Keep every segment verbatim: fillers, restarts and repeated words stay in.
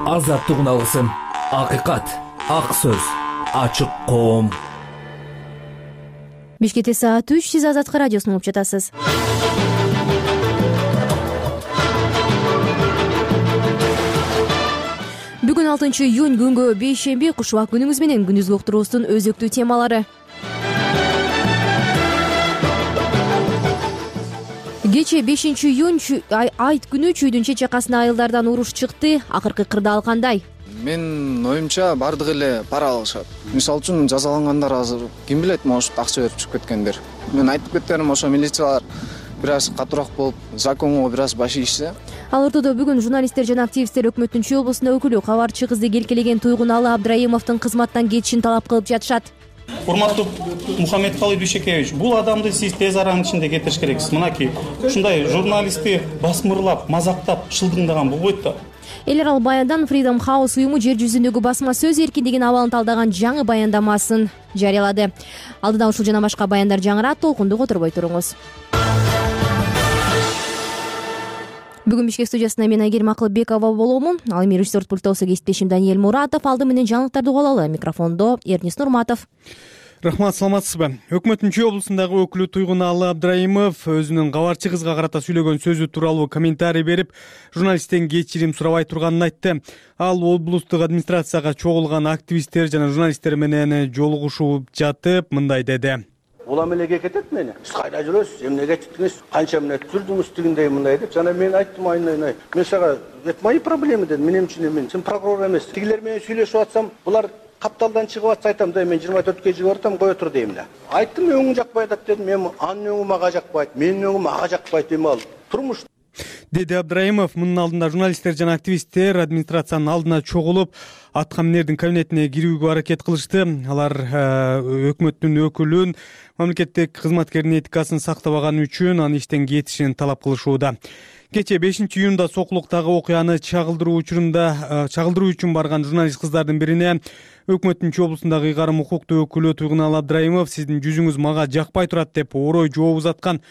Азаттык алгысым, акыйкат, ак сөз, ачык коом. Бишкекте саат үч, сиз Азаттык радиосун угуп жатасыз. Бүгүн алтынчы июнь, күнгө бейшемби, кушубак күнүңүз менен күндүзгү уктуруубуздун өзөктүү темалары. Кечээ бешинчи июнь айт күнү чүйдүн чечакасына айылдардан уруш чыкты. Акыркы кырдаал кандай? Мен оюмча бардыгы эле пара алышат. Мисалы үчүн жазалангандар азыр ким билет, может акча берип чыгып кеткендер. Мен айтып кеткеним ошо милициялар бир аз катуураак болуп, законго бир аз баш ийишсе. Ал ортодо бүгүн журналисттер жана активисттер өкмөттүн Чүй облусунда өкүлү кабарчы кызды келкелеген Туйгуналы Абдрайымовдун кызматтан кетишин талап кылып жатышат. Урматтуу Мухаммедкалый Дүйшекевич, бул адамды сиз тез аранын ичинде кетириш керексиз. Мынакей, ушундай журналистти басмырлап, мазактап, шылдыңдаган болбойт да. Эл аралык баяндан Freedom House уюму жер жүзүндөгү басма сөз эркиндигин абалын талдаган жаңы баяндамасын жарыялады. Алдыда ушул жана башка баяндар жаңырат, толкунду которбой туруңуз. Бүгүн Бишкек студиясында мен Айгерим Акылбекова боломун. Ал эми режиссер пультосу кесиптешим Даниэль Муратов, алды менен жаңылыктарды угуп алалы. Микрофондо Эрнис Нурматов. Рахмат, саламатсызбы? Өкмөттүн Чүй облусундагы өкүлү Туйгуналы Абдрайымов өзүнүн кабарчы кызга карата сүйлөгөн сөзү тууралуу комментарий берип, журналисттен кечирим сурабай турганын айтты. Ал облустук администрацияга чогулган активисттер жана журналисттер менен жолугушуп жатып, мындай деди. Улам элеге кетет мени. Сиз кайда жүрөсүз? Эмне кетиңиз? Канча мүнөт жүрдүңүз дегендей мындай деп. Жана мен айттым айнай-айнай. Мен сага это мои проблемы дедим. Менин үчүн эме. Сен прокурор эмессиң. Тигилер менен сүйлөшүп атсам, булар капталдан чыгып атса айтам да, мен жыйырма төрткө чыгып атам, кое тур дейм да. Айттым, өңүң жакпай атат дедим. Мен анын өңү мага жакпайт, менин өңүм ага жакпайт эми ал. Турмуш деди Абдрайымов. Мунун алдында журналисттер жана активисттер администрациянын алдына чогулуп, аткаминердин кабинетине кирүүгө аракет кылышты. Алар өкмөттүн өкүлүн мамлекеттик кызматкердин этикасын сактабаганы үчүн аны иштен кетишин талап кылышууда. Кечээ бешинчи июнда Сокулуктагы окуяны чагылдыруу учурунда чагылдыруу үчүн барган журналист кыздардын бирине өкмөттүн Чүй облусундагы ыйгарым укуктуу өкүлү Туйгуналы Абдрайымов сиздин жүзүңүз мага жакпай турат деп орой жооп узаткан.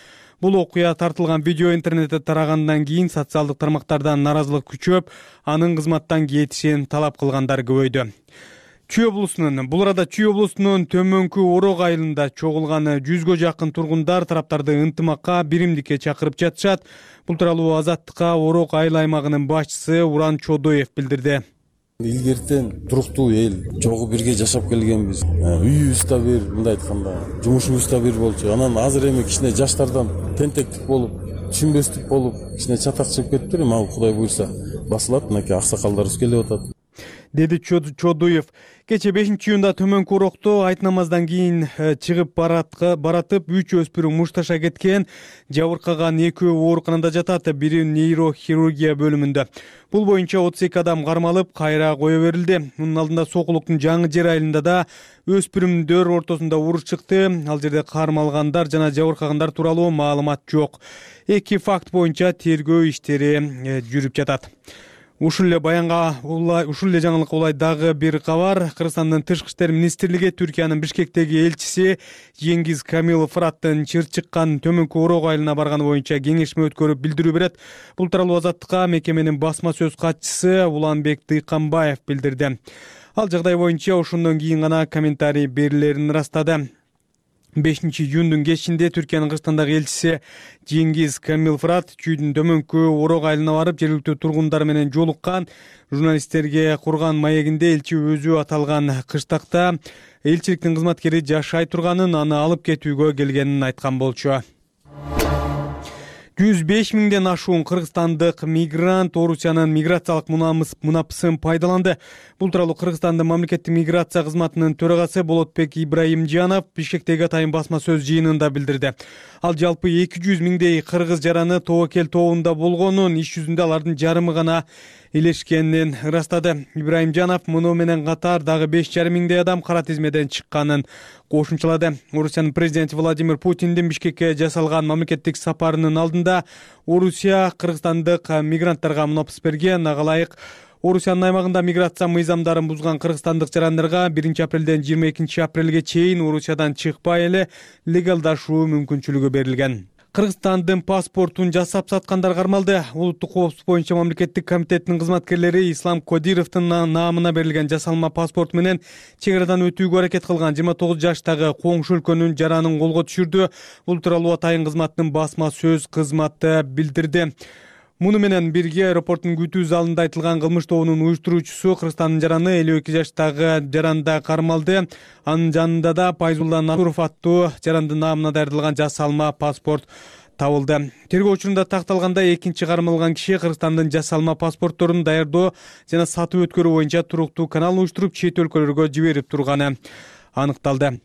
Бул окуя тартылган видео интернетте тарагандан кийин социалдык тармактардан наразылык күчөп, анын кызматтан кетишин талап кылгандар көбөйдү. Чүй облусунун бул арада Чүй облусунун Төмөнкү Орок айылында чогулган жүзгө жакын тургундар тараптарды ынтымакка, биримдикке чакырып жатышат. Бул тууралуу Азаттыкка Орок айыл аймагынын башчысы Уран Чодоев билдирди. Илгертен туруктуу эл жогу бирге жашап келгенбиз. Үйүбүз да бир, мындай айтканда, жумушубуз да бир болчу. Анан азыр эми кичине жаштардан тентектик болуп, түшүнбөстүк болуп, кичине чатак чыгып кетиптир. Эми ал Кудай буйрса басылат, мынакей аксакалдарыбыз келип атат, деди Чодуев. Кечээ бешинчи июнда Төмөнкү Орокто айт намаздан кийин чыгып баратып үч өспүрүм мушташа кеткен, жабыркаган экөө ооруканада жатат, бири нейрохирургия бөлүмүндө. Бул боюнча отуз эки адам кармалып, кайра кое берилди. Мунун алдында Сокулуктун Жаңы Жер айылында да өспүрүмдөр ортосунда уруш чыкты. Ал жерде кармалгандар жана жабыркагандар тууралуу маалымат жок. Эки факт боюнча тергөө иштери жүрүп жатат. Ушул эле баянга ушул эле жаңылыкка улай дагы бир кабар. Кыргызстандын Тышкы иштер министрлиги Түркиянын Бишкектеги элчиси Жеңгиз Камилов Фыраттын чыр чыккан Төмөнкү Орок айылына барганы боюнча кеңешме өткөрүп билдирүү берет. Бул тууралуу Азаттыкка мекеменин басма сөз катчысы Уланбек Дыйканбаев билдирди. Ал жагдай боюнча ошондон кийин гана комментарий берилерин ырастады. бешинчи июндун кечинде Түркиянын Кыргызстандагы элчиси Жеңгиз Камил Фырат Чүйдүн Төмөнкү Орок айылына барып, жергиликтүү тургундар менен жолуккан. Журналисттерге курган маегинде элчи өзү аталган кыштакта элчиликтин кызматкери жашай турганын, аны алып кетүүгө келгенин айткан болчу. жүз беш миңден ашуун кыргызстандык мигрант Орусиянын миграциялык мунапысын пайдаланды. Бул тууралуу Кыргызстандын мамлекеттик миграция кызматынын төрагасы Болотбек Ибраимжанов Бишкектеги атайын басма сөз жыйынында билдирди. Ал жалпы эки жүз миңдей кыргыз жараны тобокел тобунда болгонун, иш жүзүндө алардын жарымы гана элешкенин ырастады. Ибраимжанов муну менен катар дагы беш жарым миңдей адам кара тизмеден чыкканын кошумчалады. Орусиянын президенти Владимир Путиндин Бишкекке жасалган мамлекеттик сапарынын алдында Орусия кыргызстандык мигранттарга мунапыс берген. Ага ылайык Орусиянын аймагында миграция мыйзамдарын бузган кыргызстандык жарандарга биринчи апрелден жыйырма экинчи апрелге чейин Орусиядан чыкпай эле легалдашуу мүмкүнчүлүгү берилген. Кыргызстандын паспортун жасап саткандар кармалды. Улуттук коопсуздук боюнча мамлекеттик комитеттин кызматкерлери Ислам Кодировдун наамына берилген жасалма паспорт менен чек арадан өтүүгө аракет кылган жыйырма тогуз жаштагы коңшу өлкөнүн жаранын колго түшүрдү. Бул тууралуу Атайын кызматтын басма сөз кызматы билдирди. Муну менен бирге аэропорттун күтүү залында айтылган кылмыш тобунун уюштуруучусу Кыргызстандын жараны элүү эки жаштагы жаранда кармалды. Анын жанында да Пайзулла Насуров аттуу жарандын наамына даярдалган жасалма паспорт табылды. Тергөө учурунда такталгандай экинчи кармалган киши Кыргызстандын жасалма паспортторун даярдоо жана сатып өткөрүү боюнча туруктуу канал уюштуруп чет өлкөлөргө жиберип турганы аныкталды.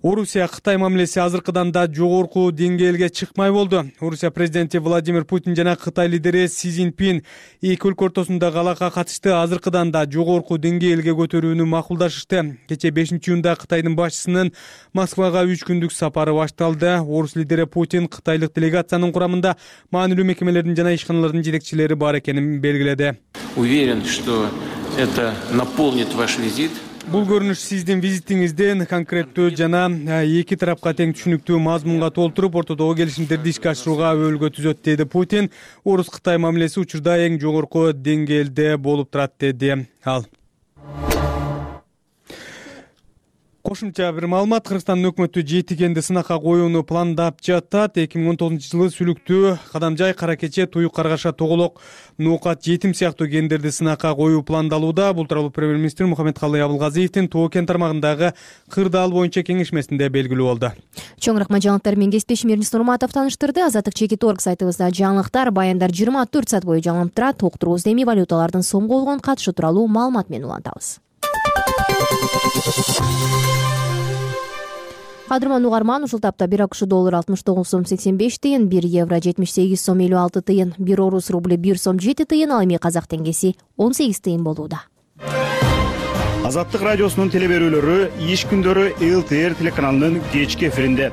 Орусия Кытай мамилеси азыркыдан да жогорку деңгээлге чыкмай болду. Орусия президенти Владимир Путин жана Кытай лидери Си Цзиньпин эки өлкө ортосундагы алака катышты азыркыдан да жогорку деңгээлге көтөрүүнү макулдашышты. Кечээ бешинчи июнда Кытайдын башчысынын Москвага үч күндүк сапары башталды. Орус лидери Путин кытайлык делегациянын курамында маанилүү мекемелердин жана ишканалардын жетекчилери бар экенин белгиледи. Уверен, что это наполнит ваш визит. Бул көрүнүш сиздин визитиңизден конкреттүү жана эки тарапка тең түшүнүктүү мазмунга толтуруп, ортодогу келишимдерди ишке ашырууга өбөлгө түзөт, деди Путин. Орус-Кытай мамилеси учурда эң жогорку деңгээлде болуп турат, деди ал. Кошумча бир маалымат: Кыргызстандын өкмөтү жети кенди сынакка коюуну пландап жатат. эки миң он тогузунчу жылы Сүлүктүү, Кадамжай, Кара Кече, Туюк, Каргаша, Тоголок, Ноокат, Жетим сыяктуу кендерди сынакка коюу пландалууда. Бул тууралуу премьер-министр Мухаммедкалый Абылгазиевдин Тоо кен тармагындагы кырдаал боюнча кеңешмесинде белгилүү болду. Чоңураак жаңылыктар менен кесиптешим Эрнис Нурматов таныштырды. Азаттык чекит орг сайтыбызда жаңылыктар, баяндар жыйырма төрт саат бою жаңылып турат. Уктуруубузда эми валюталардын сомго болгон катышы тууралуу маалымат менен улантабыз. Кадырман угарман, ушул тапта бир акш доллары алтымыш тогуз сом сексен беш тыйын, бир евро жетимиш сегиз сом элүү алты тыйын, бир орус рубль бир сом жети тыйын, ал эми казак теңгеси он сегиз тыйын болууда. Азаттык радиосунун телеберүүлөрү иш күндөрү эл тэ эр телеканалынын кечки эфиринде.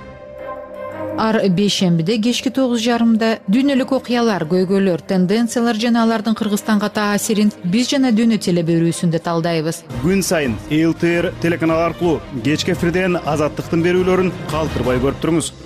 Ар бейшембиде кечки тогуз жарымда дүйнөлүк окуялар, көйгөйлөр, тенденциялар жана алардын Кыргызстанга таасирин биз жана дүйнө телеберүүсүндө талдайбыз. Күн сайын эл тэ эр телеканалы аркылуу кечки эфирден азаттыктын берүүлөрүн калтырбай көрүп туруңуз.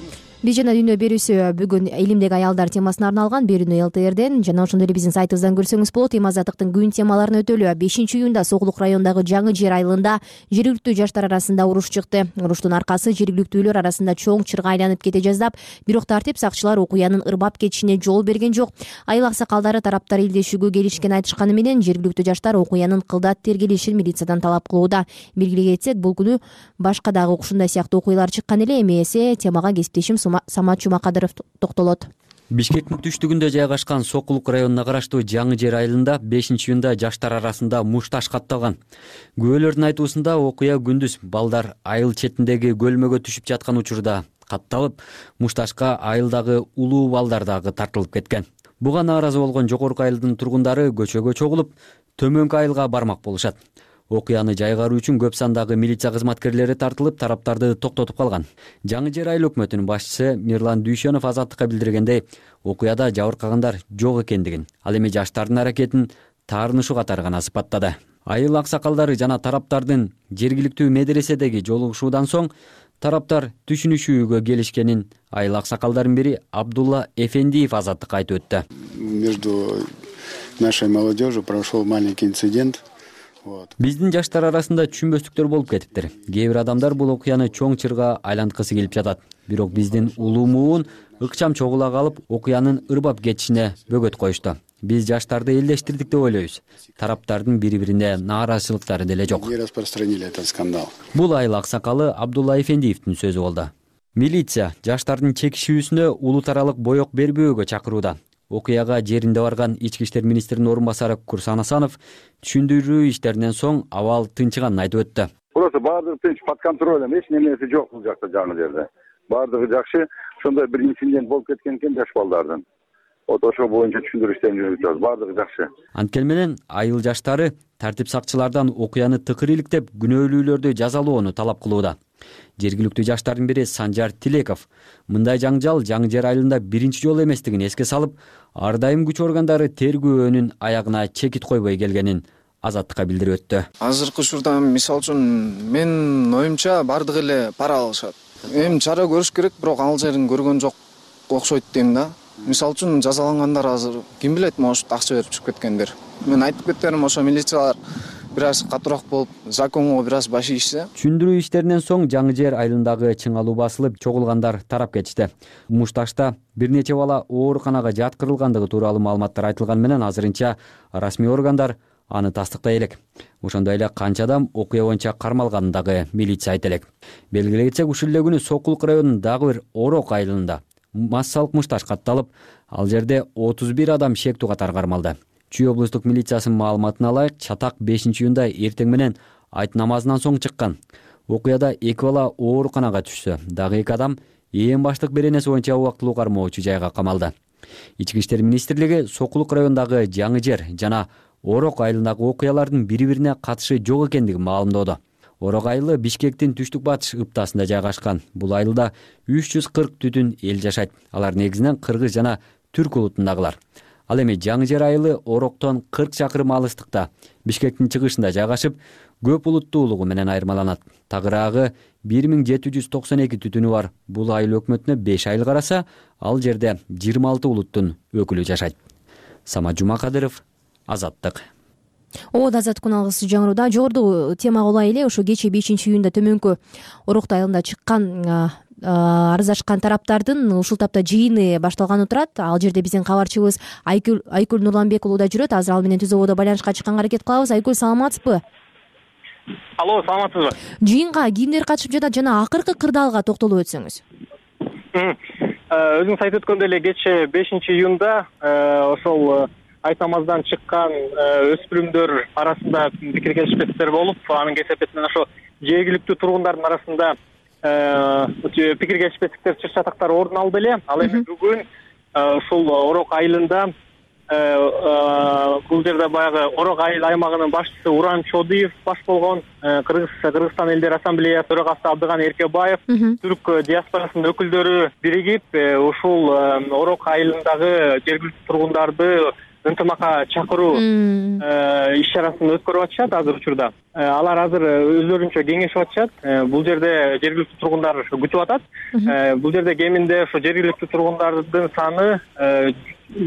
Биз жана дүйнө берүүсү бүгүн элимдеги аялдар темасына арналган берүүнү эл тэ эрден жана ошондой эле биздин сайтыбыздан көрсөңүз болот. Эми азаттыктын күн темаларын өтөлү. бешинчи июнда Сокулук районундагы Жаңы Жер айылында жергиликтүү жаштар арасында уруш чыкты. Уруштун аркасы жергиликтүүлөр арасында чоң чырга айланып кете жаздап, бирок тартип сакчылар окуянын ырбап кетишине жол берген жок. Айыл аксакалдары тараптар илдешүүгө келишкен айтышканы менен жергиликтүү жаштар окуянын кылдат тергелишин милициядан талап кылууда. Белгилей кетсек, бул күнү башка дагы ушундай сыяктуу окуялар чыккан эле. Эми эсе темага кесиптешим Самат Жумакадыров токтолот. Бишкектин түштүгүндө жайгашкан Сокулук районуна караштуу Жаңы Жер айылында бешинчи июнда жаштар арасында муш таш катталган. Күбөлөрдүн айтуусунда окуя күндүз балдар айыл четиндеги көлмөгө түшүп жаткан учурда катталып, муш ташка айылдагы улуу балдар дагы тартылып кеткен. Буга нааразы болгон жогорку айылдын тургундары көчөгө чогулуп, төмөнкү айылга бармак болушат. Окуяны жайгаруу үчүн көп сандагы милиция кызматкерлери тартылып, тараптарды токтотуп калган. Жаңы Жер айыл өкмөтүнүн башчысы Мирлан Дүйшөнов азаттыкка билдиргендей, окуяда жабыркагандар жок экендигин, ал эми жаштардын аракетин таарынышуу катары гана сыпаттады. Айыл аксакалдары жана тараптардын жергиликтүү медреседеги жолугушуудан соң тараптар түшүнүшүүгө келишкенин айыл аксакалдардын бири Абдулла Эфендиев азаттыкка айтып өттү. Между нашей молодежью прошел маленький инцидент. Биздин жаштар арасында түшүнбөстүктөр болуп кетиптир. Кээ бир адамдар бул окуяны чоң чырга айланткысы келип жатат. Бирок биздин улуу муун ыкчам чогула калып, окуянын ырбап кетишине бөгөт коюшту. Биз жаштарды элдештирдик деп ойлойбуз. Тараптардын бири-бирине нааразычылыктары деле жок. Не распространили этот скандал. Бул айыл аксакалы Абдулла Эфендиевдин сөзү болду. Милиция жаштардын чекишүүсүнө улут аралык боек бербөөгө чакырууда. Окуяга жеринде барган Ички иштер министринин орун басары Курсан Асанов түшүндүрүү иштеринен соң абал тынчыганын айтып өттү. Просто баардыгы тынч, под контролем, эч нерсе жок бул жакта жаңы жерде. Баардыгы жакшы. Ошондой бир инцидент болуп кеткен экен жаш балдардын. Вот ошо боюнча түшүндүрүү иштерин жүргүзөбүз. Баардыгы жакшы. Анткени менен айыл жаштары тартип сакчылардан окуяны тыкыр иликтеп, күнөөлүүлөрдү жазалоону талап кылууда. Жергиликтүү жаштардын бири Санжар Тилеков мындай жаңжал Жаңы Жер айылында биринчи жолу эместигин эске салып, ар дайым күч органдары тергөөнүн аягына чекит койбой келгенин азаттыкка билдирип өттү. Азыркы учурда мисалы үчүн менин оюмча бардыгы эле пара алышат. Эми чара көрүш керек, бирок ал жерин көргөн жок. окшойт дейм да. Мисалы үчүн жазалангандар азыр ким билет, может акча берип чыгып кеткендер. Мен айтып кеттерим, ошо милициялар бир аз катуураак болуп, законго бир аз баш ийишсе. Түшүндүрүү иштеринен соң Жаңы Жер айылындагы чыңалуу басылып, чогулгандар тарап кетишти. Мушташта бир нече бала ооруканага жаткырылгандыгы тууралуу маалыматтар айтылган менен азырынча расмий органдар аны тастыктай элек. Ошондой эле канча адам окуя боюнча кармалганын дагы милиция айта элек. Белгилей кетсек, ушул эле күнү Сокулук районунун дагы бир Орок айылында массалык мушташ катталып, ал жерде отуз бир адам шектүү катары кармалды. Чүй облустук милициясынын маалыматына ылайык, чатак бешинчи июнда эртең менен айт намазынан соң чыккан. Окуяда эки бала ооруканага түшсө, дагы эки адам ээн баштык беренеси боюнча убактылуу кармоочу жайга камалды. Ички иштер министрлиги Сокулук районундагы Жаңы Жер жана Орок айылындагы окуялардын бири-бирине катышы жок экендигин маалымдоодо. Орок айылы Бишкектин түштүк-батыш ыптасында жайгашкан. Бул айылда үч жүз кырк түтүн эл жашайт. Алар негизинен кыргыз жана түрк улутундагылар. Ал эми Жаңы Жер айылы Ороктон кырк чакырым алыстыкта, Бишкектин чыгышында жайгашып, көп улуттуулугу менен айырмаланат. Тагыраагы бир миң жети жүз токсон эки түтүнү бар. Бул айыл өкмөтүнө беш айыл караса, ал жерде жыйырма алты улуттун өкүлү жашайт. Самат Жумакадыров, Азаттык. Ооба, Азаттык алгысы жаңыруда. Жогорудагы темага улай эле, ошо кечээ бешинчи июнда төмөнкү Орок айылында чыккан арыздашкан тараптардын ушул тапта жыйыны башталганы турат. Ал жерде биздин кабарчыбыз Айкүл Айкүл Нурланбек уулу да жүрөт. Азыр ал менен түз ободо байланышка чыкканга аракет кылабыз. Айкүл, саламатсызбы? Алло, саламатсызбы? Жыйынга кимдер катышып жатат жана акыркы кырдаалга токтолуп өтсөңүз. Өзүңүз айтып өткөндөй эле кечээ бешинчи июнда ошол айт намаздан чыккан өспүрүмдөр арасында пикир келишпестер болуп, анын кесепетинен ошо жергиликтүү тургундардын арасында пикир келишпестиктер, чыр чатактар орун алды эле. Ал эми бүгүн ушул Орок айылында бул жерде баягы Орок айыл аймагынын башчысы Уран Чодуев баш болгон, Кыргызстан элдер ассамблеясы төрагасы Абдыган Эркебаев, түрк диаспорасынын өкүлдөрү биригип ушул Орок айылындагы жергиликтүү тургундарды ынтымакка чакыруу иш чарасын өткөрүп атышат азыр учурда. Алар азыр өздөрүнчө кеңешип атышат. Бул жерде жергиликтүү тургундар күтүп атат. Бул жерде кеминде ошо жергиликтүү тургундардын саны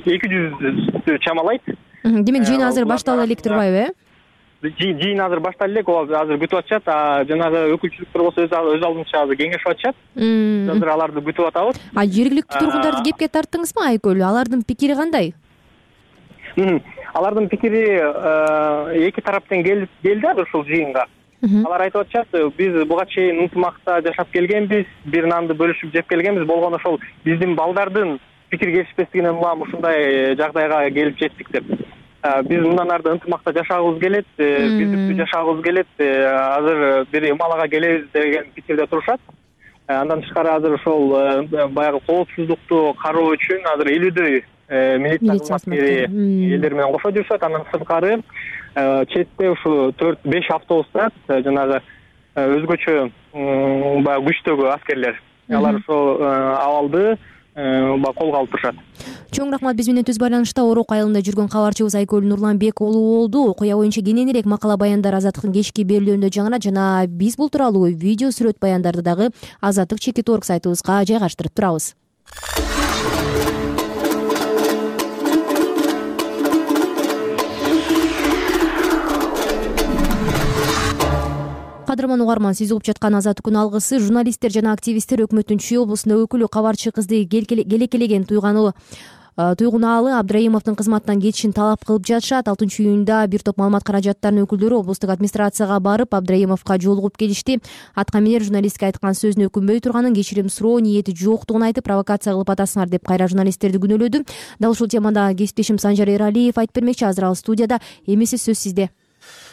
эки жүздү чамалайт. Демек жыйын азыр баштала элек турбайбы, э? Жыйын азыр баштала элек, азыр күтүп атышат. Жанагы өкүлчүлүктөр болсо өз алдынча азыр кеңешип атышат. Азыр аларды күтүп атабыз. А жергиликтүү тургундарды кепке тарттыңызбы, Айкүл? Алардын пикири кандай? Алардын пикири эки тараптан келди ушул жыйынга. Алар айтып атышат, биз буга чейин ынтымакта жашап келгенбиз, бир нанды бөлүшүп жеп келгенбиз, болгону ошол биздин балдардын пикир келишпестигинен улам ушундай жагдайга келип жеттик деп. Биз мындан ары ынтымакта жашагыбыз келет, бирдиктүү жашагыбыз келет, азыр бир ымалага келебиз деген пикирде турушат. Андан тышкары азыр ошол баягы коопсуздукту кароо үчүн азыр элүүдөй милиция кызматкери элдер менен кошо жүрүшөт. Андан сырткары четте ушу төрт беш автобус турат, жанагы өзгөчө баягы күчтөгү аскерлер. Алар ошол абалды колго алып турушат. Чоң рахмат. Биз менен түз байланышта Орок айылында жүргөн кабарчыбыз Айкүл Нурланбек уулу болду. Окуя боюнча кененирээк макала баяндар Азаттыктын кечки берүүлөрүндө жаңырат жана биз бул тууралуу видео сүрөт баяндарды дагы Азаттык чекит точка орг сайтыбызга жайгаштырып турабыз. Кадырман угарман, сиз угуп жаткан Азаттык күн алгысы. Журналисттер жана активисттер өкмөттүн Чүй облусунда өкүлү кабарчы кызды келекелеген туйганы туйгунаалы Абдраимовдун кызматтан кетишин талап кылып жатышат. алтынчы июнда бир топ маалымат каражаттарынын өкүлдөрү облустук администрацияга барып, Абдраимовго жолугуп келишти. Аткаминер журналистке айткан сөзүнө өкүнбөй турганын, кечирим суроо ниети жоктугун айтып, провокация кылып атасыңар деп кайра журналисттерди күнөөлөдү. Дал ушул темада кесиптешим Санжар Эралиев айтып бермекчи. Азыр ал студияда. Эмесе сөз сизде.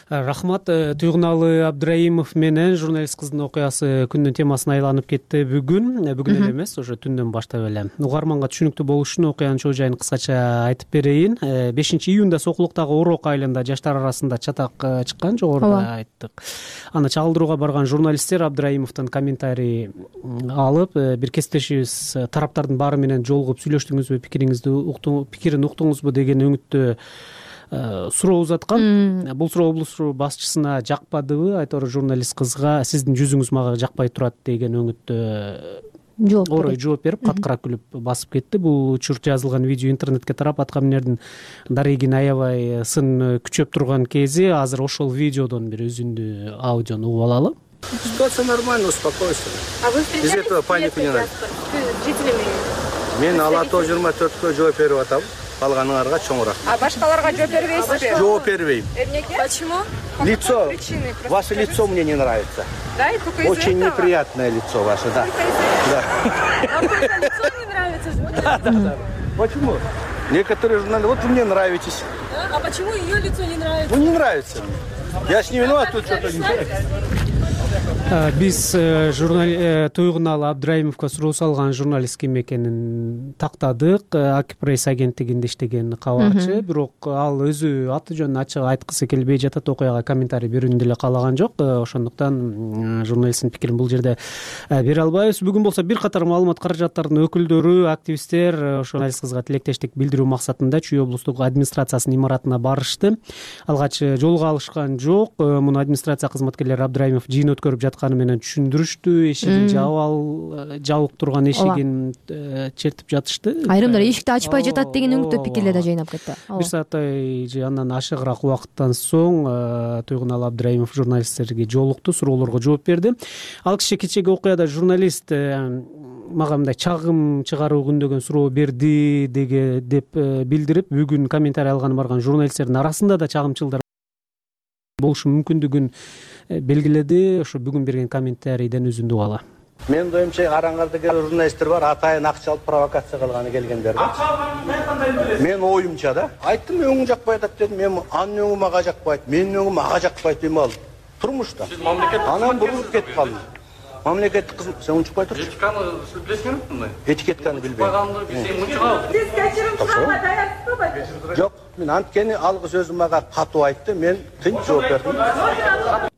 Рахмат. Туйгунаалы Абдраимов менен журналист кыздын окуясы күндүн темасына айланып кетти бүгүн. Бүгүн эле эмес, уже түндөн баштап эле. Угарманга түшүнүктүү болуш үчүн окуянын чоо жайын кыскача айтып берейин. бешинчи июнда Сокулуктагы Орок айылында жаштар арасында чатак чыккан, жогоруда айттык. Аны чагылдырууга барган журналисттер Абдраимовдон комментарий алып, бир кесиптешибиз тараптардын баары менен жолугуп сүйлөштүңүзбү, пикириңизди уктуңузбу, пикирин уктуңузбу деген өңүттө суроо узаткан. Бул суроо облус башчысына жакпадыбы? Айтор журналист кызга сиздин жүзүңүз мага жакпай турат деген өңүттө жооп орой жооп берип каткыра күлүп басып кетти. Бул учур жазылган видео интернетке тарап аткаминердин Дарыгин аябай сын күчөп турган кези. Азыр ошол видеодон бир үзүндү аудиону угуп алалы. Ситуация нормальная, успокойся. А вы Без этого панику не надо. жителями? Мен Алато жыйырма төрткө жооп берип атам. Калганыңарга чоң рахмат. А башкаларга жооп бербейсизби? Жооп бербейм. Эмнеге? Почему? Лицо, ваше лицо мне не нравится. Да, и только из-за Очень этого? неприятное лицо ваше, да. Да. Вам только лицо не нравится? Да, да, да. Почему? Некоторые журналисты, вот вы мне нравитесь. Да? А почему ее лицо не нравится? Ну, не нравится мне. Я ж не виноват, тут что-то не Биз Туйгуналы Абдраимовго суроо салган журналист ким экенин тактадык. Акипресс агенттигинде иштеген кабарчы, бирок ал өзү аты жөнүн ачык айткысы келбей жатат, окуяга комментарий берүүнү деле каалаган жок. Ошондуктан журналисттин пикирин бул жерде бере албайбыз. Бүгүн болсо бир катар маалымат каражаттарынын өкүлдөрү, активисттер журналист кызга тилектештик билдирүү максатында Чүй облустук администрациясынын имаратына барышты. Алгач жолуга алышкан жок. Муну администрация кызматкерлери Абдраимов жыйын өткөрүп жатканы менен түшүндүрүштү. Эшигин жабып жабык турган эшигин чертип жатышты. Айрымдар эшикти ачпай жатат деген үмүттүү пикирлер да жыйнап кетти. Бир сааттай же андан ашыгыраак убакыттан соң Туйгуналы Абдраимов журналисттерге жолукту, суроолорго жооп берди. Ал киши кечеги окуяда журналист мага мындай чагым чыгаруу күндөгөн суроо берди деге деп билдирип, бүгүн комментарий алганы барган журналисттердин арасында да чагымчылдар болушу мүмкүндүгүн белгиледи. Ошо бүгүн берген комментарийден үзүндү угалы. Менин оюмча Караңгарда келген журналисттер бар, атайын акча алып провокация кылганы келгендер. Акча алган мен оюмча да. Айттым, өңүң жакпай атат дедим. Мен анын өңү мага жакпайт, менин өңүм ага жакпайт дейм ал. Турмушта. Анан бурулуп кетип калдым. Мамлекеттик кызмат, сен унчукпай турчу. Этиканы сиз билесиңерби мындай? Этикетканы билбейм. Койгонду билсең унчугабыз. Сиз кечирим сурауга даярсызбы? Жок, мен анткени алгыс өзү мага катуу айтты, мен тынч жооп бердим.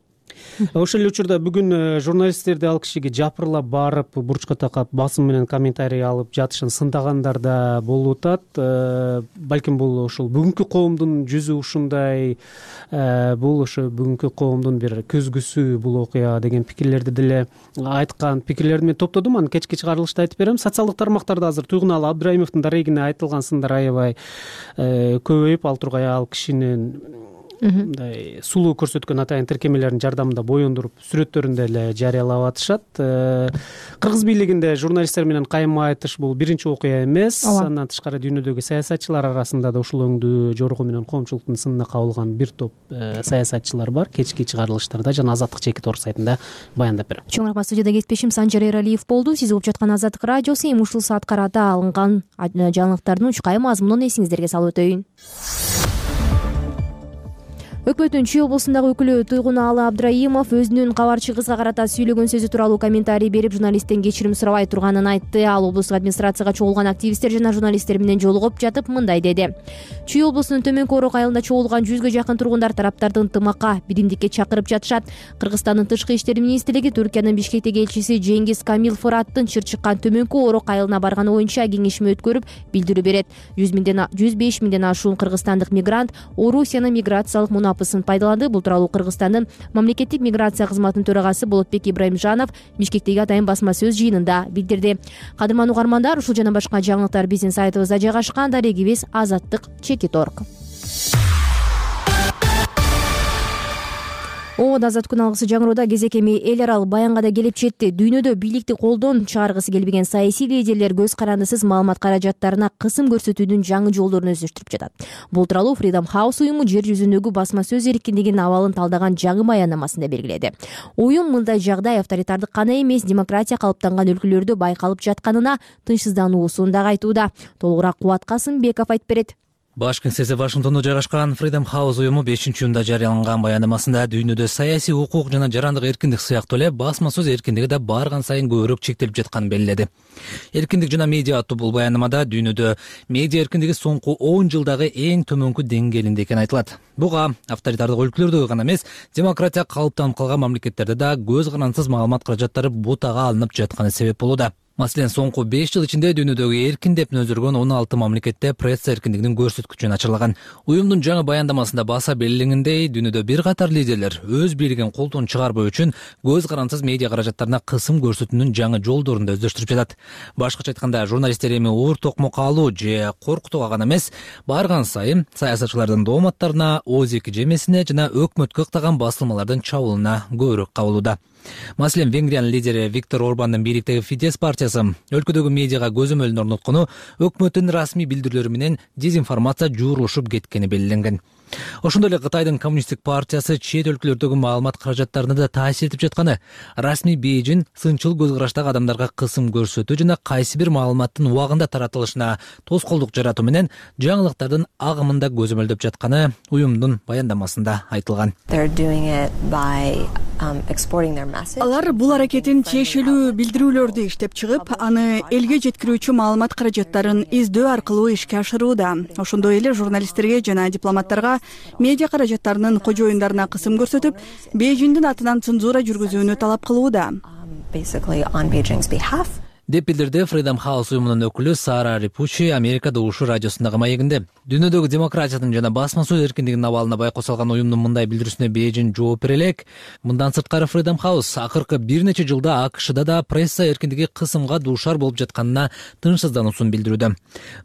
Ошол эле учурда бүгүн журналисттерди ал кишиге жапырлап барып, бурчка такап басым менен комментарий алып жатышын сындагандар да болуп атат. Балким бул ошол бүгүнкү коомдун жүзү ушундай, бул ошо бүгүнкү коомдун бир көзгүсү бул окуя деген пикирлерди деле айткан. Пикирлерди мен топтодум, аны кечки чыгарылышта айтып берем. Социалдык тармактарда азыр Туйгуналы Абдраимовдун дарегине айтылган сындар аябай көбөйүп, ал тургай ал кишинин мындай сулуу көрсөткөн атайын тиркемелердин жардамында боюндуруп сүрөттөрүн деле жарыялап атышат. Кыргыз бийлигинде журналисттер менен кайма айтыш бул биринчи окуя эмес. Андан тышкары дүйнөдөгү саясатчылар арасында да ушул өңдүү жоргу менен коомчулуктун сынына кабылган бир топ саясатчылар бар. Кечки чыгарылыштарда жана Азаттык чеки тор сайтында баяндап берем. Чоң рахмат. Студияда кесипдешим Санжар Эралиев болду. Сиз угуп жаткан Азаттык радиосу. Эми ушул саат карата алынган жаңылыктардын учкай мазмунун эсиңиздерге салып өтөйүн. Өкмөттүн Чүй облусундагы өкүлү Туйгуналы Абдраимов өзүнүн кабарчы кызга карата сүйлөгөн сөзү тууралуу комментарий берип, журналисттен кечирим сурабай турганын айтты. Ал облустук администрацияга чогулган активисттер жана журналисттер менен жолугуп жатып мындай деди. Чүй облусунун Төмөнкү Орок айылында чогулган жүзгө жакын тургундар тараптардын ынтымакка, биримдикке чакырып жатышат. Кыргызстандын тышкы иштер министрлиги Түркиянын Бишкектеги элчиси Жеңгиз Камил Фураттын чыр чыккан Төмөнкү Орок айылына барганы боюнча кеңешме өткөрүп, билдирүү берет. жүз беш миңден ашуун кыргызстандык мигрант Орусиянын миграциялык мунапысын пайдаланды. Бул тууралуу Кыргызстандын мамлекеттик миграция кызматынын төрагасы Болотбек Ибраимжанов Бишкектеги атайын басма сөз жыйынында билдирди. Кадырман угармандар, ушул жана башка жаңылыктар биздин сайтыбызда жайгашкан. Дарегибиз Азаттык чеки торг. Оода азат күн алгысы жаңыроодо кезекеми эл аралык баянга да келип жетти. Дүйнөдө бийликти колдон чыгаргысы келбеген саясий лидерлер көз карандысыз маалымат каражаттарына кысым көрсөтүүдүн жаңы жолдорун өздөштүрүп жатат. Бул тууралуу Freedom House уюму жер жүзүндөгү басма сөз эркиндигинин абалын талдаган жаңы баяннамасында белгиледи. Уюм мындай жагдай авторитардык гана эмес, демократия калыптанган өлкөлөрдө байкалып жатканына тынчсыздануусун дагы айтууда. Толугураак Кубат Касымбеков айтып берет. Баш кеңсеси Вашингтондо жайгашкан Freedom House уюму бешинчи июнда жарыяланган баяндамасында дүйнөдө саясий укук жана жарандык эркиндик сыяктуу эле басма сөз эркиндиги да барган сайын көбүрөөк чектелип жатканын белгиледи. Эркиндик жана медиа аттуу бул баяндамада дүйнөдө медиа эркиндиги соңку он жылдагы эң төмөнкү деңгээлинде экени айтылат. Буга авторитардык өлкөлөрдө гана эмес, демократия калыптанып калган мамлекеттерде да көз карандысыз маалымат каражаттары бутага алынып жатканы себеп болууда. Маселен, соңку беш жыл ичинде дүйнөдөгү эркин деп нөзүргөн он алты мамлекетте пресса эркиндигинин көрсөткүчүн ачырлаган. Уюмдун жаңы баяндамасында баса белгиленгендей, дүйнөдө бир катар лидерлер өз бийлигин колдон чыгарбоо үчүн көз карансыз медиа каражаттарына кысым көрсөтүүнүн жаңы жолдорун да өздөштүрүп жатат. Башкача айтканда, журналисттер эми оор токмокко алуу же коркутууга гана эмес, барган сайын саясатчылардын дооматтарына, ооз эки жемесине жана өкмөткө ыктаган басылмалардын чабуулуна көбүрөөк кабылууда. Маселен, Венгриянын лидери Виктор Орбандын бийликтеги Фидес партиясы өлкөдөгү медиага көзөмөлүн орноткону өкмөттүн расмий билдирүүлөрү менен дезинформация жуурушуп кеткени белгиленген. Ошондой эле Кытайдын коммунисттик партиясы чет өлкөлөрдөгү маалымат каражаттарына да таасир этип жатканы, расмий Бейжин сынчыл көз караштагы адамдарга кысым көрсөтүү жана кайсы бир маалыматтын убагында таратылышына тоскоолдук жаратуу менен жаңылыктардын агымында көзөмөлдөп жатканы уюмдун баяндамасында айтылган. Алар бул аракетин тиешелүү билдирүүлөрдү иштеп чыгып, аны элге жеткирүүчү маалымат каражаттарын издөө аркылуу ишке ашырууда. Ошондой эле журналисттерге жана дипломаттарга медиа каражаттарынын кожоюндарына кысым көрсөтүп, Бейжиңдин атынан цензура жүргүзүүнү талап кылууда деп билдирди Freedom House уюмунун өкүлү Сара Рипучи Америкада ушу радиосундагы маегинде. Дүйнөдөгү демократиянын жана басма сөз эркиндигинин абалына байкоо салган уюмдун мындай билдирүүсүнө Бейжиң жооп бере элек. Мындан сырткары Freedom House акыркы бир нече жылда АКШда да пресса эркиндиги кысымга дуушар болуп жатканына тынчсыздануусун билдирүүдө.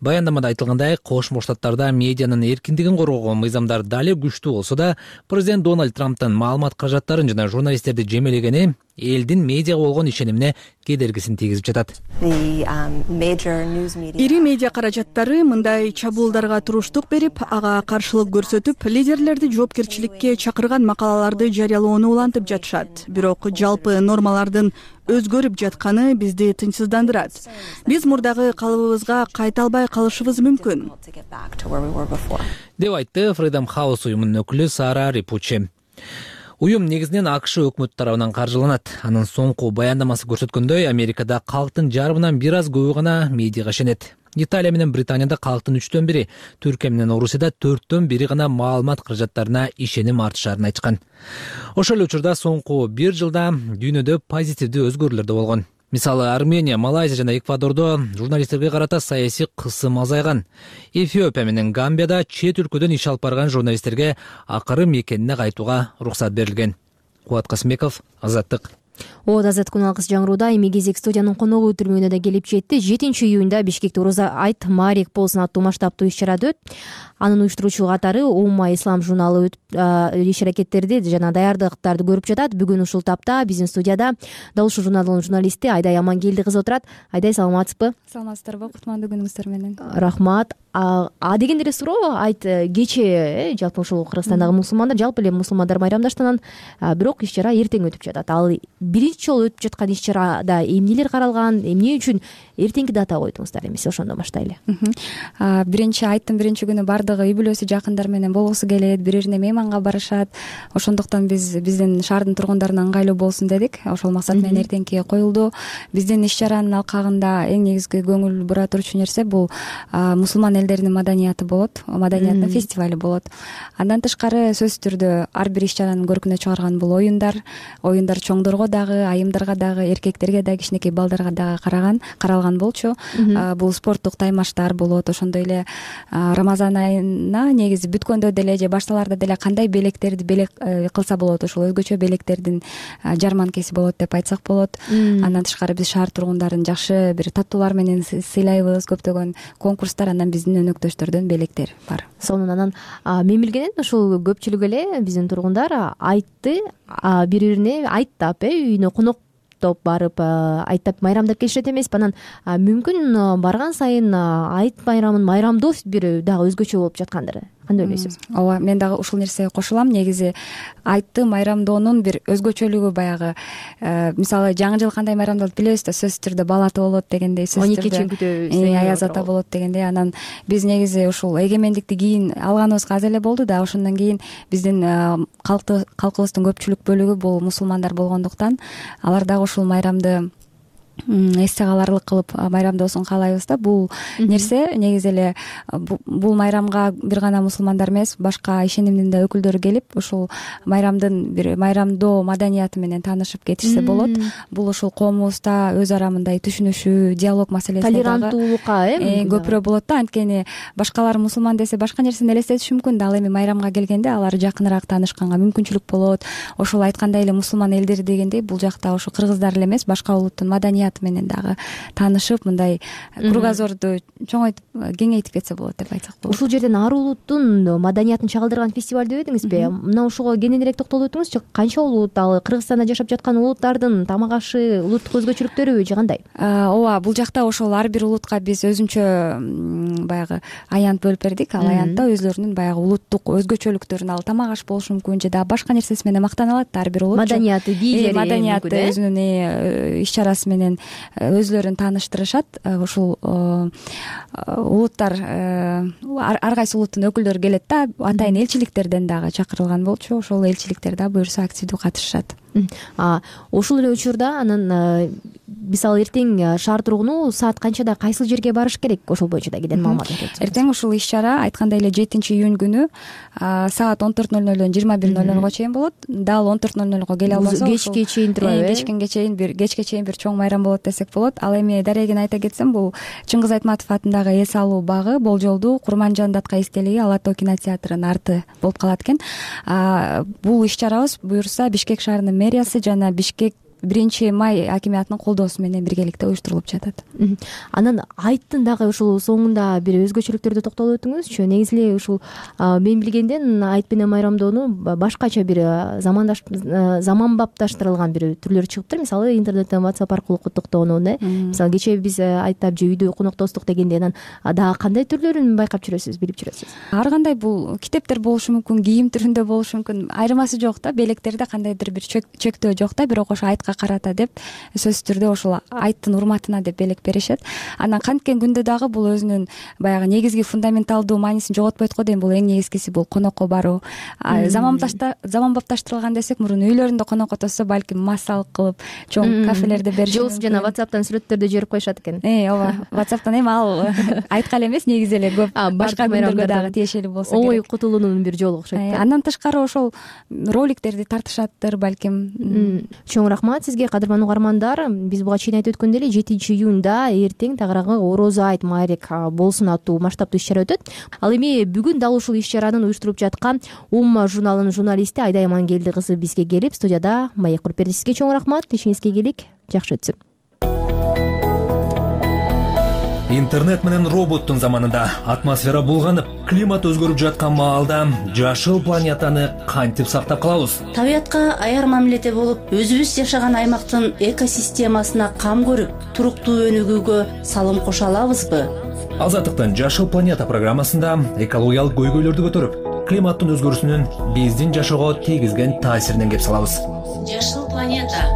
Баяндамада айтылгандай, Кошмо Штаттарда медианын эркиндигин коргогон мыйзамдар дали күчтүү болсо да, президент Дональд Трамптын маалымат каражаттарын жана журналисттерди жемелегени элдин медиага болгон ишенимине кедергисин тийгизип жатат. Ири медиа каражаттары мындай чабуулдарга туруштук берип, ага каршылык көрсөтүп, лидерлерди жоопкерчиликке чакырган макалаларды жарыялоону улантып жатышат. Бирок жалпы нормалардын өзгөрүп жатканы бизди тынчсыздандырат. Биз мурдагы калыбыбызга кайта албай калышыбыз мүмкүн, деп айтты Freedom House уюмунун өкүлү Сара Рипучи. Уюм негизинен АКШ өкмөтү тарабынан каржыланат. Анын соңку баяндамасы көрсөткөндөй, Америкада калктын жарымынан бир аз көбү гана медиага ишенет. Италия менен Британияда калктын үчтөн бири, Түркия менен Орусияда төрттөн бири гана маалымат каражаттарына ишеним артышарын айтышкан. Ошол эле учурда соңку бир жылда дүйнөдө позитивдүү өзгөрүүлөр да болгон. Мисалы, Армения, Малайзия жана Эквадордо журналисттерге карата саясий кысым азайган. Эфиопия менен Гамбияда чет өлкөдөн иш алып барган журналисттерге акыры мекенине кайтууга уруксат берилген. Кубат Касымбеков, Азаттык. Ооз Азат күн алкыс жаңырууда эми кезек студиянын коногу түрмөгүнө да келип жетти. жетинчи июнда Бишкекте Ороза айт Марик Полсун аттуу масштабтуу иш-чарада өтүп, анын уюштуруучу катары Умма Ислам журналы иш-аракеттерди жана даярдыктарды көрүп жатат. Бүгүн ушул тапта биздин студияда дал ушул журналдын журналисти Айдай Амангелди кызы отурат. Айдай, саламатсызбы? Саламатсыздарбы? Кутмандуу күнүңүздөр менен. Рахмат. А дегенде эле суроо, айт кечээ жалпы ушул Кыргызстандагы мусулмандар, жалпы эле мусулмандар майрамдаштанан, бирок иш-чара эртең өтүп жатат. Ал биринчи жолу өтүп жаткан иш-чарада эмнелер каралган, эмне үчүн эртеңки дата койдуңуздар, эмесе ошондон баштайлы. Биринчи айттын биринчи күнү баардыгы үй бүлөсү, жакындар менен болгусу келет, бири-бирине мейманга барышат. Ошондуктан биз биздин шаардын тургундарына ыңгайлуу болсун дедик. Ошол максат менен эртеңки коюлду. Биздин иш-чаранын алкагында эң негизги көңүл бура турчу нерсе бул мусулман элдеринин маданияты болот, маданияттын фестивалю болот. Андан тышкары сөзсүз түрдө ар бир иш-чаранын көркүнө чыгарган бул оюндар, оюндар чоңдорго дагы, айымдарга дагы, эркектерге дагы, кичинекей балдарга дагы караган, каралган болчу. Бул спорттук таймаштар болот. Ошондой эле Рамазан айына негизи бүткөндө деле же башталарда деле кандай белектерди белек кылса болот, ошол өзгөчө белектердин жарманкеси болот деп айтсак болот. Андан тышкары биз шаар тургундарын жакшы бир таттуулар менен сыйлайбыз, көптөгөн конкурстар, андан биздин өнөктөштөрдөн белектер бар. Сонун анан мен билгенем ушул көпчүлүк эле биздин тургундар айтты бири-бирине айттап, э үйүнө коноктоп барып айттап майрамдап келишет эмеспи? Анан мүмкүн барган сайын айт майрамын майрамдоо бир дагы өзгөчө болуп жаткандыр. Кандай ойлойсуз? Ооба, мен дагы ушул нерсеге кошулам. Негизи айтты майрамдоонун бир өзгөчөлүгү баягы, мисалы жаңы жыл кандай майрамдалат билебиз да, сөзсүз түрдө бал ата болот дегендей, сөзсүз түрдө аяз ата болот дегендей. Анан биз негизи ушул эгемендикти кийин алганыбызга аз эле болду да, ошондон кийин биздин калкыбыздын көпчүлүк бөлүгү бул мусулмандар болгондуктан алар дагы ушул майрамды эсте каларлык кылып майрамдоосун каалайбыз да. Бул нерсе негизи эле бул майрамга бир гана мусулмандар эмес, башка ишенимдин да өкүлдөрү келип ушул майрамдын бир майрамдоо маданияты менен таанышып кетишсе болот. Бул ушул коомубузда өз ара мындай түшүнүшүү, диалог маселесине дагы толеранттуулукка э көпүрөөк болот да. Анткени башкалар мусулман десе башка нерсени элестетиши мүмкүн да, ал эми майрамга келгенде алар жакыныраак таанышканга мүмкүнчүлүк болот. Ошол айткандай эле мусулман элдер дегендей бул жакта ошо кыргыздар эле эмес, башка улуттун маданияты менен дагы таанышып, мындай кругозорду чоңойтуп кеңейтип кетсе болот деп айтсак болот. Ушул жерден ар улуттун маданиятын чагылдырган фестиваль деп едиңизби? Мына ушуга кененирээк токтолуп өтүңүзчү. Канча улут, ал Кыргызстанда жашап жаткан улуттардын тамак ашы, улуттук өзгөчөлүктөрү же кандай? Ооба, бул жакта ошол ар бир улутка биз өзүнчө баягы аянт бөлүп бердик. Ал аянтта өзлөрүнүн баягы улуттук өзгөчөлүктөрүн, ал тамак аш болушу мүмкүн же дагы башка нерсеси менен мактана алат ар бир улут. Маданияты, бийлери, маданияты өзүнүн иш чарасы менен өзлөрүн тааныштырышат. Ушул улуттар ар кайсы улуттун өкүлдөрү келет да, атайын элчиликтерден дагы чакырылган болчу. Ошол элчиликтер да буюрса активдүү катышышат. Ошол эле учурда анан мисалы эртең шаар тургуну саат канчада кайсыл жерге барыш керек? Ошол боюнча да кенен маалымат бериңиз. Эртең ушул иш чара айткандай эле жетинчи июнь күнү саат он төрт ноль нолдон жыйырма бир ноль нолго чейин болот. Дал он төрт ноль нолго келе албаса, кечке чейин турбайбы? Кечкенге чейин бир кечке чейин бир чоң майрам болот десек болот. Ал эми дарегин айта кетсем, бул Чыңгыз Айтматов атындагы эс алуу багы Болжолдуу Курманжан Датка эстелиги Ала тоо кинотеатрынын арты болуп калат экен. Бул иш чарабыз буюрса Бишкек шаарынын мэриясы жана Бишкек биринчи май акимиятынын колдоосу менен биргеликте уюштурулуп жатат. Анан айттын дагы ушул соңунда бир өзгөчөлүктөрдү токтолуп өтүңүзчү. Негизи эле ушул мен билгенден айт менен майрамдоону башкача бир замандаш заманбапташтырылган бир түрлөрү чыгыптыр. Мисалы интернеттен WhatsApp аркылуу куттуктоонун э. Мисалы кечээ биз айттап же үйдө коноктостук дегенде анан дагы кандай түрлөрүн байкап жүрөсүз, билип жүрөсүз? Ар кандай бул китептер болушу мүмкүн, кийим түрүндө болушу мүмкүн. Айырмасы жок да, белектерде кандайдыр бир чектөө жок да, бирок ошо айтка карата деп сөзсүз түрдө ошол айттын урматына деп белек беришет. Анан канткен күндө дагы бул өзүнүн баягы негизги фундаменталдуу маанисин жоготпойт го дейм. Бул эң негизгиси бул конокко баруу. Заманбапташтырылган десек, мурун үйлөрүндө конок отурса, балким массалык кылып чоң кафелерде беришет. Жолсу жана WhatsApp'тан сүрөттөрдү жиберип коюшат экен. Э, ооба. WhatsApp'тан эми ал айтка эле эмес, негизи эле көп башка күндөргө дагы тиешелүү болсо керек. Ой кутулуунун бир жолу окшойт да. Андан тышкары ошол роликтерди тартышаттыр балким. Чоң рахмат сизге, кадырман угармандар. Биз буга чейин айтып өткөндөй эле жетинчи июнда эртең тагыраагы Орозо айт маарек болсун аттуу масштабтуу иш чара өтөт. Ал эми бүгүн дал ушул иш чаранын уюштуруп жаткан Умма журналынын журналисти Айдай Амангелди кызы бизге келип студияда маек куруп берди. Сизге чоң рахмат. Ишиңизге ийгилик, жакшы өтсүн. Интернет менен роботтун заманында атмосфера булганып, климат өзгөрүп жаткан маалда жашыл планетаны кантип сактап калабыз? Табиятка аяр мамиледе болуп, өзүбүз жашаган аймактын экосистемасына кам көрүп, туруктуу өнүгүүгө салым кошо алабызбы? Азаттыктын Жашыл планета программасында экологиялык көйгөйлөрдү көтөрүп, климаттын өзгөрүүсүнүн биздин жашоого тийгизген таасиринен кеп салабыз. Жашыл планета.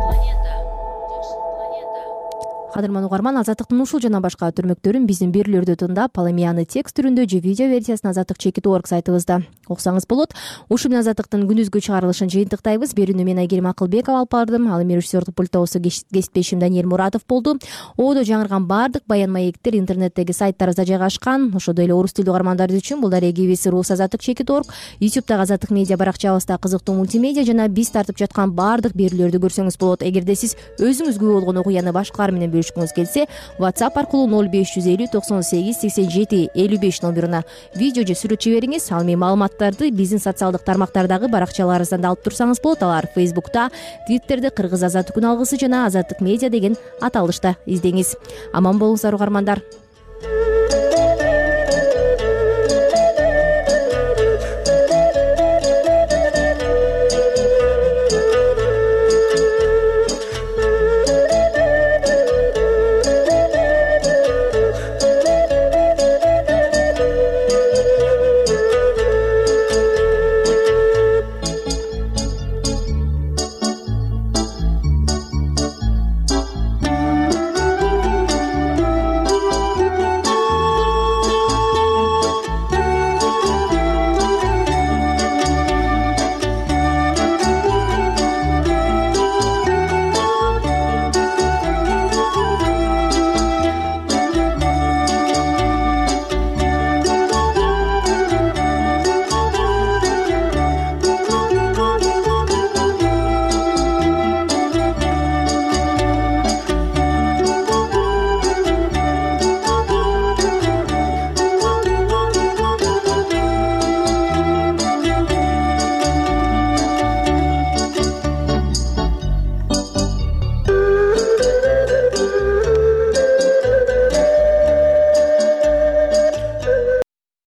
Кадырман угарман, Азаттыктын ушул жана башка түрмөктөрүн биздин берүүлөрдү тыңдап, ал эми аны текст түрүндө же видео версиясын азаттык чекит точка орг сайтыбызда окусаңыз болот. Ушу менен Азаттыктын күндүзгү чыгарылышын жыйынтыктайбыз. Берүүнү мен Айгерим Акылбекова алып бардым. Ал эми режиссердик пульттобузду кесиптешим Даниэль Муратов болду. Одо жаңырган баардык баян маектер интернеттеги сайттарыбызда жайгашкан. Ошондой эле орус тилдүү угармандар үчүн бул дарегибиз рус азаттык чекит точка орг, ютубтагы Азаттык медиа баракчабызда кызыктуу мультимедиа жана биз тартып жаткан баардык берүүлөрдү көрсөңүз болот. Эгерде сиз өзүңүз күбө болгон окуяны башкалар менен бөлүшкүңүз келсе, WhatsApp аркылуу ноль беш жүз элүү токсон сегиз сексен жети элүү беш номеруна видео же сүрөт жибериңиз. Ал эми маалыматтарды биздин социалдык тармактардагы баракчаларыбыздан да алып турсаңыз болот. Алар Facebook'та, Twitter'де Кыргыз азаттык күн алгысы жана Азаттык медиа деген аталышта издеңиз. Аман болуңуздар угармандар.